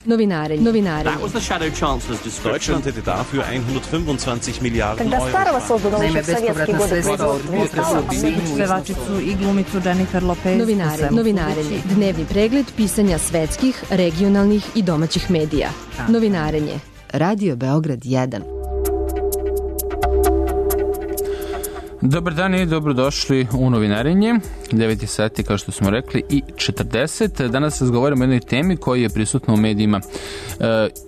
Novinarenje. That was the Shadow Chancellor's description. Deutschland hätte dafür 125 Miliarden Euro. Naime, bespovratna sredstva od 2 pevačicu i glumicu Jennifer Lopez. Novinarenje. Dnevni pregled pisanja svetskih, regionalnih i domaćih medija. Novinarenje. Radio Beograd 1. Dobar dan i dobrodošli u Novinarenje. 9 sati, kao što smo rekli, i 40. Danas razgovaramo o jednoj temi koja je prisutna u medijima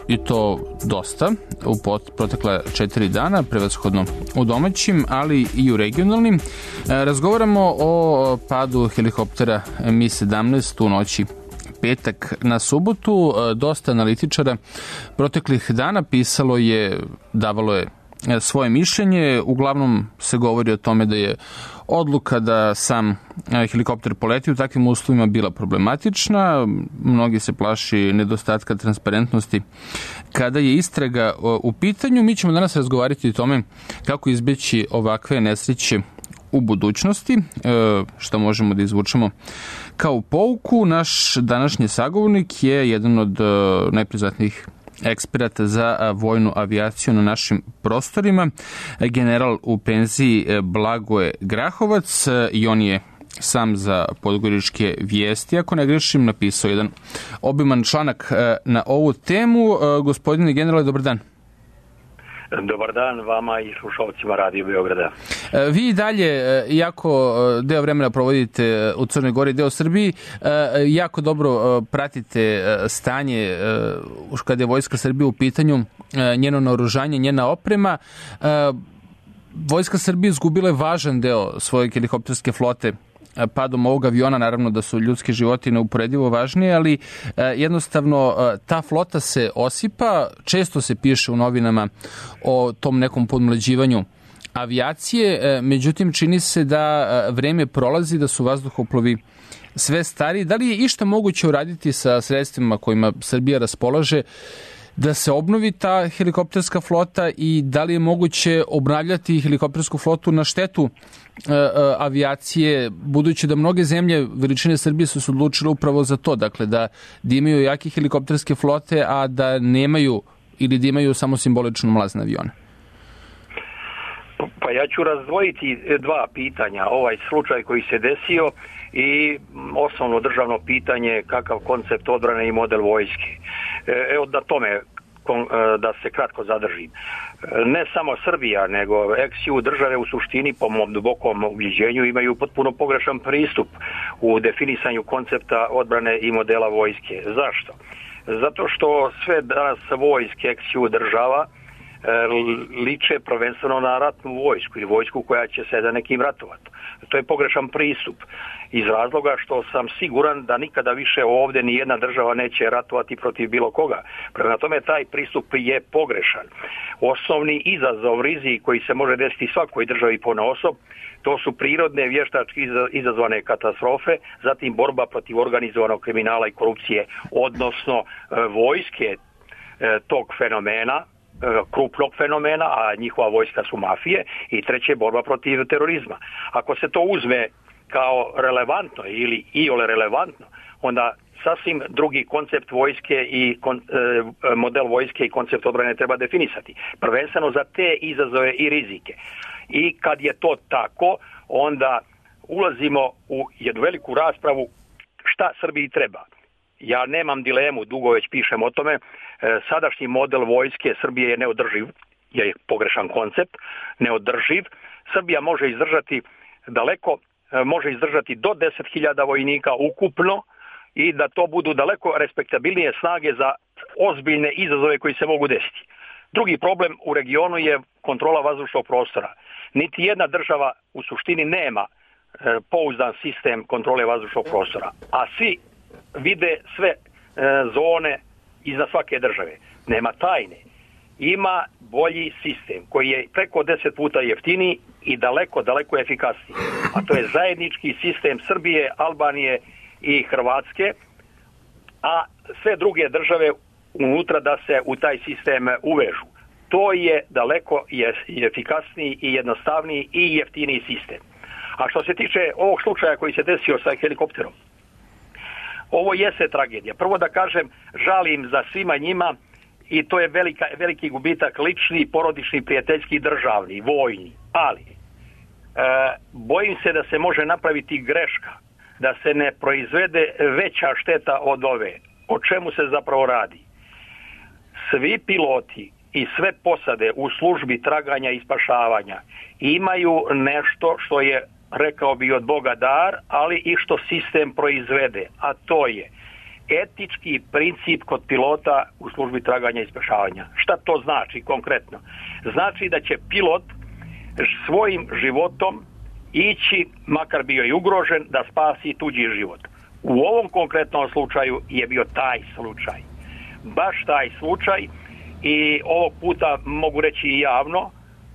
i to dosta u protekla 4 dana, prevashodno u domaćim, ali i u regionalnim. Razgovaramo o padu helikoptera Mi-17 u noći petak na subotu. Dosta analitičara proteklih dana pisalo je, davalo je svoje mišljenje. Uglavnom se govori o tome da je odluka da sam helikopter poleti u takvim uslovima bila problematična. Mnogi se plaši nedostatka transparentnosti kada je istraga u pitanju. Mi ćemo danas razgovarati o tome kako izbeći ovakve nesreće u budućnosti, što možemo da izvučemo kao pouku. Naš današnji sagovornik je jedan od najpriznatnijih eksperata za vojnu avijaciju na našim prostorima, general u penziji Blagoje Grahovac, i on je sam za Podgoričke vijesti, ako ne grešim, napisao jedan obiman članak na ovu temu. Gospodine generale, dobar dan. Dobar dan vama i slušalcima Radio Beograda. Vi dalje, jako deo vremena provodite u Crnoj Gori, deo Srbiji, jako dobro pratite stanje kada je Vojska Srbije u pitanju, njeno naoružanje, njena oprema. Vojska Srbije izgubila je važan deo svoje helikopterske flote padom ovog aviona. Naravno da su ljudski životi neuporedivo važnije, ali jednostavno ta flota se osipa. Često se piše u novinama o tom nekom podmlađivanju avijacije, međutim čini se da vreme prolazi, da su vazduhoplovi sve stariji. Da li je išta moguće uraditi sa sredstvima kojima Srbija raspolaže da se obnovi ta helikopterska flota i da li je moguće obnavljati helikoptersku flotu na štetu avijacije, budući da mnoge zemlje veličine Srbije su se odlučile upravo za to, dakle da imaju jake helikopterske flote, a da nemaju ili da imaju samo simbolično mlazne avione? Pa ja ću razdvojiti dva pitanja. Ovaj slučaj koji se desio i osnovno državno pitanje kakav koncept odbrane i model vojske. Evo da tome da se kratko zadržim. Ne samo Srbija, nego ex-ju države u suštini po mom dubokom ubjeđenju imaju potpuno pogrešan pristup u definisanju koncepta odbrane i modela vojske. Zašto? Zato što sve danas vojske ex-ju država liče prvenstveno na ratnu vojsku ili vojsku koja će se za nekim ratovati. To je pogrešan pristup iz razloga što sam siguran da nikada više ovdje ni jedna država neće ratovati protiv bilo koga. Prema tome taj pristup je pogrešan. Osnovni izazov, rizik koji se može desiti svakoj državi ponaosob, to su prirodne vještački izazvane katastrofe, zatim borba protiv organizovanog kriminala i korupcije, odnosno vojske tog fenomena, krupnog fenomena, a njihova vojska su mafije, i treće borba protiv terorizma. Ako se to uzme kao relevantno ili iole relevantno, onda sasvim drugi koncept vojske i model vojske i koncept odbrane treba definisati. Prvenstveno za te izazove i rizike. I kad je to tako, onda ulazimo u jednu veliku raspravu šta Srbiji treba. Ja nemam dilemu, dugo već pišem o tome, sadašnji model vojske Srbije je neodrživ, je pogrešan koncept, neodrživ. Srbija može izdržati daleko, može izdržati do 10.000 vojnika ukupno i da to budu daleko respektabilnije snage za ozbiljne izazove koji se mogu desiti. Drugi problem u regionu je kontrola vazdušnog prostora. Niti jedna država u suštini nema pouzdan sistem kontrole vazdušnog prostora, a svi vide sve zone iznad svake države. Nema tajne. Ima bolji sistem koji je preko 10 puta jeftiniji i daleko, daleko efikasniji. A to je zajednički sistem Srbije, Albanije i Hrvatske, a sve druge države unutra da se u taj sistem uvežu. To je daleko efikasniji i jednostavniji i jeftiniji sistem. A što se tiče ovog slučaja koji se desio sa helikopterom, ovo jeste tragedija. Prvo da kažem, žalim za svima njima i to je veliki gubitak lični, porodični, prijateljski, državni, vojni. Ali bojim se da se može napraviti greška, da se ne proizvede veća šteta od ove. O čemu se zapravo radi? Svi piloti i sve posade u službi traganja i spašavanja imaju nešto što je, rekao bi, od Boga dar, ali i što sistem proizvede, a to je etički princip kod pilota u službi traganja i spašavanja. Šta to znači konkretno? Znači da će pilot svojim životom ići, makar bio i ugrožen, da spasi tuđi život. U ovom konkretnom slučaju je bio taj slučaj. Baš taj slučaj i ovog puta mogu reći i javno,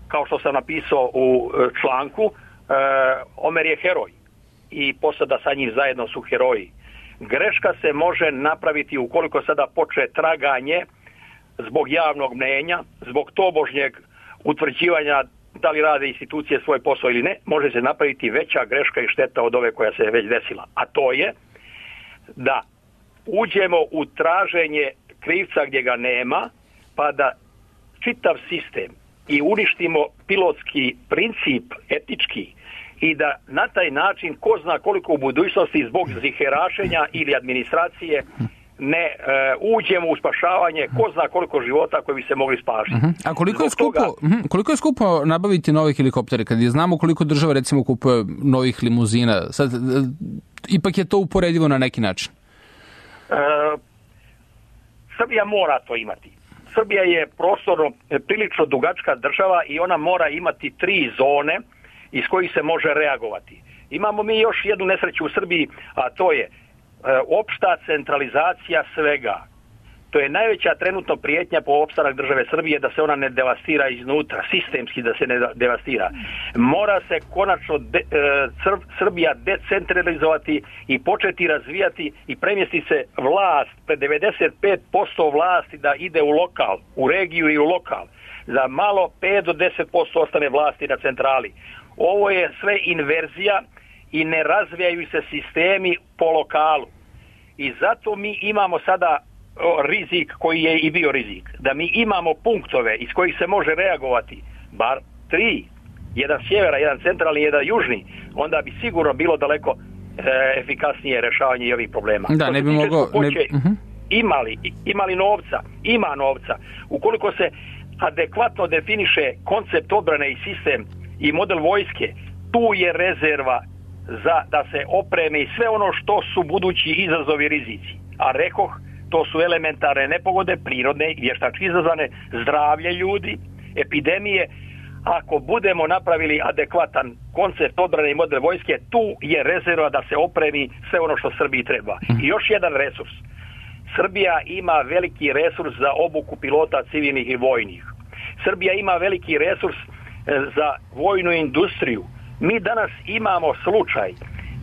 kao što sam napisao u članku, Omer je heroj i posada sa njim zajedno su heroji. Greška se može napraviti ukoliko sada počne traganje zbog javnog mnenja, zbog tobožnjeg utvrđivanja da li rade institucije svoj posao ili ne, može se napraviti veća greška i šteta od ove koja se već desila. A to je da uđemo u traženje krivca gdje ga nema, pa da čitav sistem i uništimo pilotski princip etički i da na taj način ko zna koliko u budućnosti zbog ziherašenja ili administracije ne uđemo u spašavanje ko zna koliko života koji bi se mogli spasiti. A koliko je skupo nabaviti nove helikoptere? Kad je znamo koliko država recimo kupuje novih limuzina, sad ipak je to uporedivo na neki način? Srbija mora to imati. Srbija je prostorno prilično dugačka država i ona mora imati 3 zone iz kojih se može reagovati. Imamo mi još jednu nesreću u Srbiji, a to je opšta centralizacija svega. To je najveća trenutno prijetnja po opstanak države Srbije, da se ona ne devastira iznutra, sistemski da se ne devastira. Mora se konačno Srbija decentralizovati i početi razvijati i premjestiti se vlast, pre 95% vlasti da ide u lokal, u regiju i u lokal. Za malo 5 do 10% ostane vlasti na centrali. Ovo je sve inverzija i ne razvijaju se sistemi po lokalu. I zato mi imamo sada rizik koji je i bio rizik. Da mi imamo punktove iz kojih se može reagovati, bar 3, jedan sjevera, jedan centralni, jedan južni, onda bi sigurno bilo daleko efikasnije rješavanje ovih problema. Da, ne bi moglo... Imali novca, ima novca. Ukoliko se adekvatno definiše koncept odbrane i sistem i model vojske, tu je rezerva za da se opremi sve ono što su budući izazovi i rizici. A rekoh, to su elementarne nepogode, prirodne i vještački izazvane, zdravlje ljudi, epidemije. Ako budemo napravili adekvatan koncept odbrane i model vojske, tu je rezerva da se opremi sve ono što Srbiji treba. I još jedan resurs. Srbija ima veliki resurs za obuku pilota civilnih i vojnih. Srbija ima veliki resurs za vojnu industriju. Mi danas imamo slučaj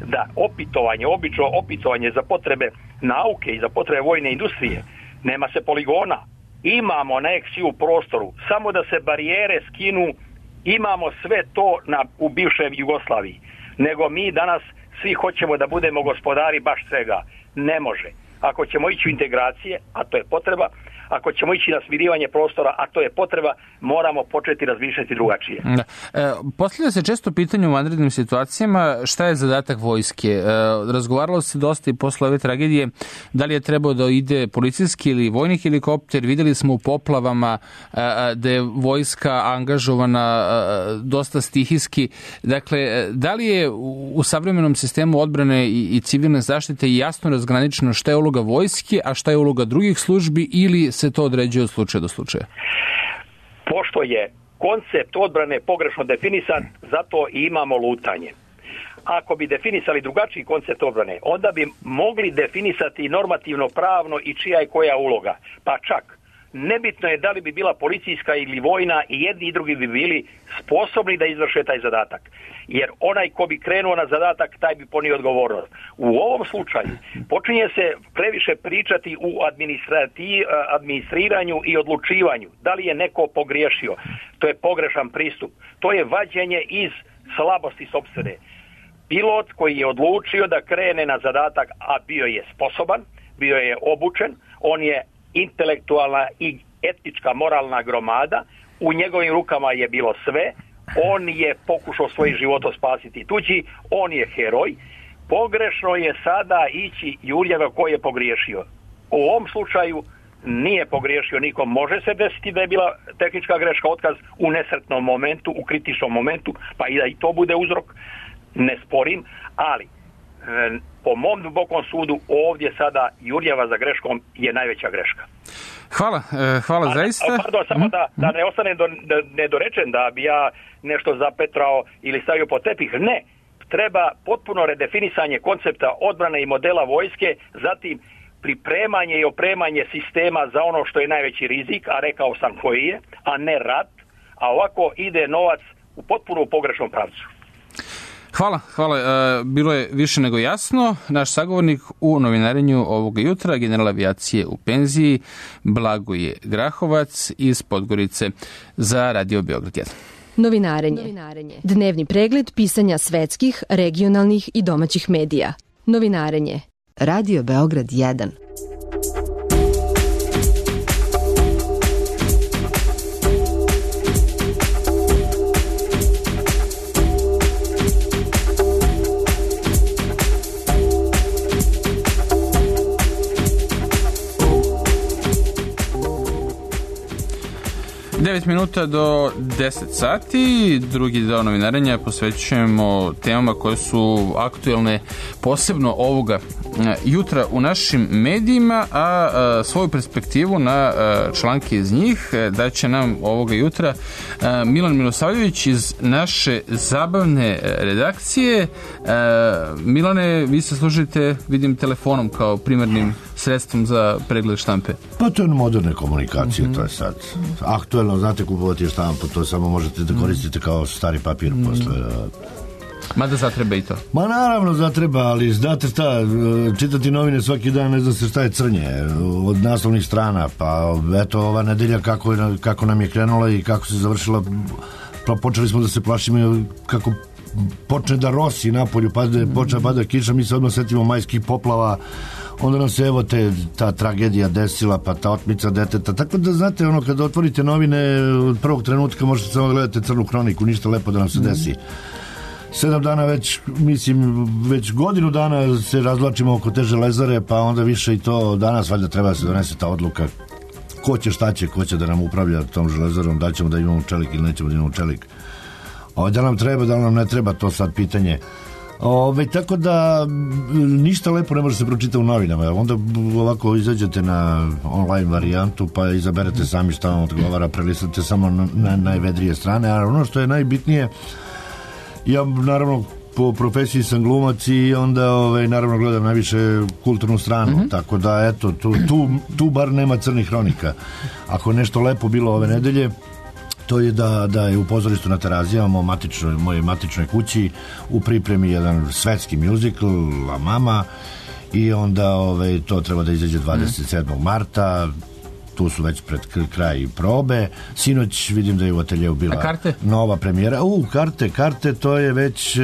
da obično opitovanje za potrebe nauke i za potrebe vojne industrije, nema se poligona. Imamo aneksiju u prostoru, samo da se barijere skinu, imamo sve to u bivšoj Jugoslaviji. Nego mi danas svi hoćemo da budemo gospodari baš svega. Ne može. Ako ćemo ići u integracije, a to je potreba, ako ćemo ići na smirivanje prostora, a to je potreba, moramo početi razmišljati drugačije. Da. Postavlja se često pitanje u vanrednim situacijama šta je zadatak vojske. Razgovaralo se dosta i posle ove tragedije da li je trebao da ide policijski ili vojni helikopter. Videli smo u poplavama da je vojska angažovana dosta stihijski. Dakle, da li je u savremenom sistemu odbrane i civilne zaštite jasno razgraničeno šta je uloga vojske, a šta je uloga drugih službi, ili se to određuje od slučaja do slučaja? Pošto je koncept odbrane pogrešno definisan, zato i imamo lutanje. Ako bi definisali drugačiji koncept odbrane, onda bi mogli definisati normativno pravno i čija je koja uloga. Pa čak, nebitno je da li bi bila policijska ili vojna, i jedni i drugi bi bili sposobni da izvrše taj zadatak. Jer onaj ko bi krenuo na zadatak, taj bi ponio odgovornost. U ovom slučaju počinje se previše pričati u administriranju i odlučivanju. Da li je neko pogriješio? To je pogrešan pristup. To je vađenje iz slabosti sopstvene. pilot koji je odlučio da krene na zadatak, a bio je sposoban, bio je obučen, on je intelektualna i etička moralna gromada, u njegovim rukama je bilo sve, on je pokušao svoj život spasiti tuđi, on je heroj. Pogrešno je sada ići Jurjeva koji je pogriješio. U ovom slučaju nije pogriješio nikom. Može se desiti da je bila tehnička greška, otkaz u nesretnom momentu, u kritičnom momentu, pa i da i to bude uzrok, ne sporim, ali po mom dubokom sudu ovdje sada Jurjeva za greškom je najveća greška. Hvala zaista. Pardon, samo da ne ostane nedorečen, da bi ja nešto zapetrao ili stavio pod tepih. Ne, treba potpuno redefinisanje koncepta odbrane i modela vojske, zatim pripremanje i opremanje sistema za ono što je najveći rizik, a rekao sam koji je, a ne rat, a ovako ide novac u potpuno pogrešnom pravcu. Hvala. Bilo je više nego jasno. Naš sagovornik u novinarenju ovoga jutra, general avijacije u penziji, Blagoje Grahovac iz Podgorice za Radio Beograd 1. Novinarenje. Dnevni pregled pisanja svetskih, regionalnih i domaćih medija. Novinarenje. Radio Beograd 1. Minuta do 10 sati. Drugi deo novinarenja posvećujemo temama koje su aktuelne posebno ovoga jutra u našim medijima, a svoju perspektivu na članke iz njih daće nam ovoga jutra Milan Milosavljević iz naše zabavne redakcije. Milane, vi se služite, vidim, telefonom kao primarnim sredstvom za pregled štampe. Pa to je moderne komunikacije, to je sad aktuelno, znate, kupovati štampu, to samo možete da koristite kao stari papir posle. Mada zatreba i to. Ma naravno zatreba, ali znate šta, čitati novine svaki dan, ne zna se šta je crnje od naslovnih strana, pa eto ova nedelja kako nam je krenula i kako se završila, počeli smo da se plašimo kako počne da rosi napolju, počne pada kiša, mi se odmah setimo majskih poplava, onda nam se evo ta tragedija desila, pa ta otmica deteta, tako da znate, ono, kada otvorite novine od prvog trenutka možete samo gledate crnu kroniku, ništa lepo da nam se desi. 7 dana već godinu dana se razvlačimo oko te Železare, pa onda više i to danas valjda treba da se donese ta odluka ko će da nam upravlja tom Železarom, da ćemo da imamo čelik ili nećemo da imamo čelik. Da nam treba, da nam ne treba, to sad pitanje. Tako da ništa lepo ne može se pročitati u novinama, onda ovako izađete na online varijantu pa izaberete sami šta vam odgovara, prelistate samo na najvedrije strane, a ono što je najbitnije, ja naravno po profesiji sam glumac i onda naravno gledam najviše kulturnu stranu, tako da eto, tu bar nema crnih hronika. Ako je nešto lepo bilo ove nedelje, to je da je u pozorištu na Terazijama, moje matičnoj kući, u pripremi jedan svetski muzikl La Mama, i onda to treba da izađe 27. marta, tu su već pred kraj probe. Sinoć vidim da je u ateljeu bila nova premijera. Karte, to je već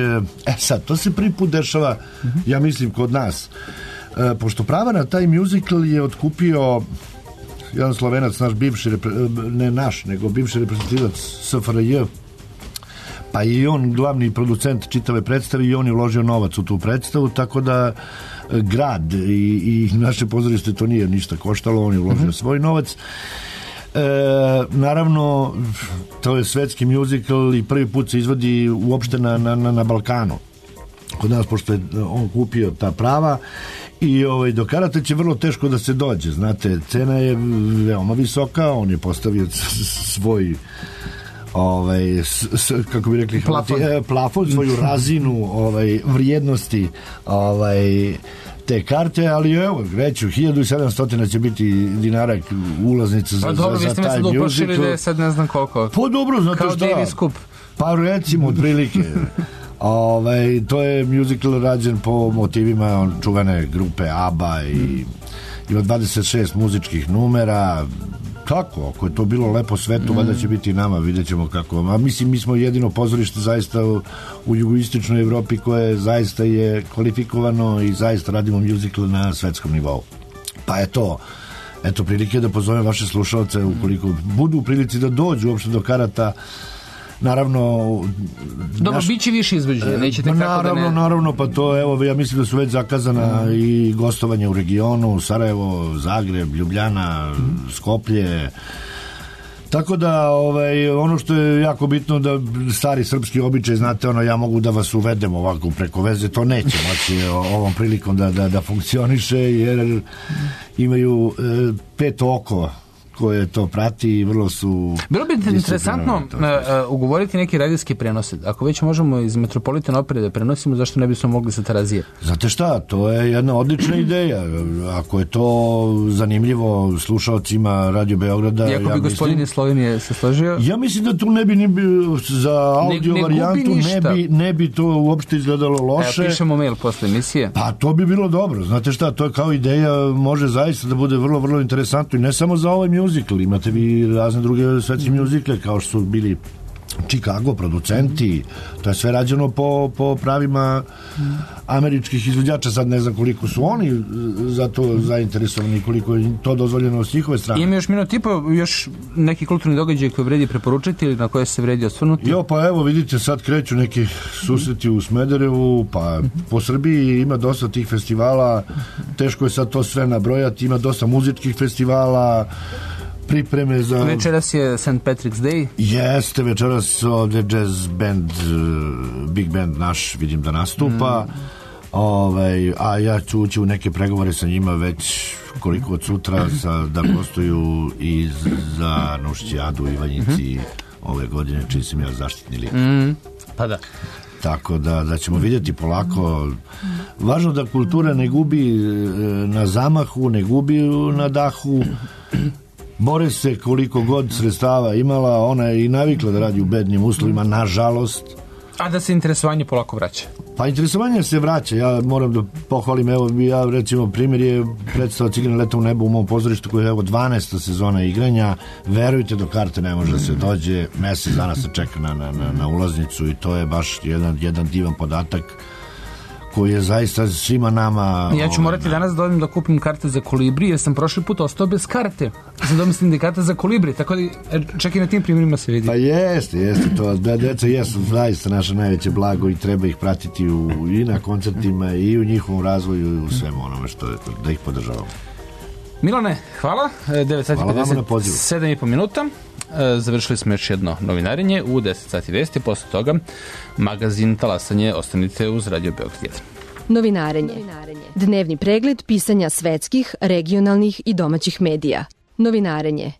sad, to se prvi put dešava, ja mislim, kod nas. Pošto prava na taj muzikl je otkupio jedan Slovenac, bivši reprezentativac SFRJ, pa i on glavni producent čitave predstave i on je uložio novac u tu predstavu, tako da grad i naše pozorište to nije ništa koštalo, on je uložio svoj novac. Naravno, to je svetski muzikl i prvi put se izvodi uopšte na Balkanu. Kod nas, pošto je on kupio ta prava, i do karata će vrlo teško da se dođe, znate, cena je veoma visoka, on je postavio svoj kako bi rekli plafon, svoju razinu vrijednosti te karte, ali evo, reću, 1700 će biti dinara ulaznica za taj musical. Pa dobro, vi ste me sad uplašili da je sad ne znam koliko. Pa dobro, znate šta? Kao Davis Cup. Pa recimo, otprilike. To je musical rađen po motivima čuvene grupe ABBA i ima 26 muzičkih numera, Tako, ako je to bilo lepo svetu, valjda će biti i nama, vidjet ćemo kako. A mislim, mi smo jedino pozorište zaista u jugoistočnoj Evropi koje zaista je kvalifikovano i zaista radimo muzikl na svetskom nivou. Pa je to. Eto, prilike da pozovem vaše slušalce ukoliko budu u prilici da dođu uopšte do karata. Naravno... Dobro, bit će više izvođenja, nećete kako da ne... Naravno, pa to, evo, ja mislim da su već zakazana i gostovanja u regionu, Sarajevo, Zagreb, Ljubljana, Skoplje. Tako da, ono što je jako bitno da stari srpski običaj, znate, ja mogu da vas uvedem ovako preko veze, to neće moći ovom prilikom da funkcioniše, jer imaju 5 oko koje to prati i vrlo su... Bilo bi interesantno ugovoriti neki radijski prenose. Ako već možemo iz Metropolitan opere da prenosimo, zašto ne bismo mogli sa Terazije? Znate šta, to je jedna odlična ideja. Ako je to zanimljivo slušalcima Radio Beograda... Iako bi gospodin iz Slovenije se složio? Ja mislim da tu ne bi za audio varijantu ne bi to uopšte izgledalo loše. Pišemo mail posle emisije. Pa to bi bilo dobro. Znate šta, to je kao ideja, može zaista da bude vrlo, vrlo interesantno i ne samo za ovaj muzikl, imate vi razne druge svetske muzikle kao što su bili Chicago producenti, to je sve rađeno po pravima američkih izvođača, sad ne znam koliko su oni za to zainteresovani, koliko je to dozvoljeno s njihove strane. Ima još minut i po, još neki kulturni događaj koji vredi preporučiti ili na koje se vredi osvrnuti? Jo, pa evo vidite, sad kreću neki susreti u Smederevu, pa po Srbiji ima dosta tih festivala, teško je sad to sve nabrojati, ima dosta muzičkih festivala, pripreme za... Večeras je St. Patrick's Day. Jeste, večeras ovdje jazz band, big band naš, vidim da nastupa. A ja ću ući u neke pregovore sa njima već koliko od sutra da gostuju i za Nušćijadu u Ivanjici ove godine, čiji sam ja zaštitni lik. Pa da. Tako da ćemo vidjeti polako. Važno da kultura ne gubi na zamahu, ne gubi na dahu. Bore se koliko god sredstava imala, ona je i navikla da radi u bednim uslovima, nažalost. A da se interesovanje polako vraća? Pa interesovanje se vraća, ja moram da pohvalim, evo ja recimo primjer je predstava Cigrane leta u nebu u mom pozorištu koja je 12. sezona igranja, verujte do karte ne može da se dođe, mesec dana se čeka na ulaznicu i to je baš jedan divan podatak koji je zaista svima nama... Ja ću morati danas da odem da kupim karte za Kolibri, jer sam prošli put ostao bez karte. Sam dobio sindikata za Kolibri, tako da čak i na tim primjerima se vidi. Pa jeste to. Deca jesu zaista naše najveće blago i treba ih pratiti i na koncertima i u njihovom razvoju i u svemu onome što je, da ih podržavamo. Milane, hvala. 9 sati 57,5 minuta. Završili smo još jedno novinarenje u 10 sati vesti, posle toga magazin Talasanje. Ostanite uz Radio Beograd 1. Novinarenje. Dnevni pregled pisanja svetskih, regionalnih i domaćih medija. Novinarenje.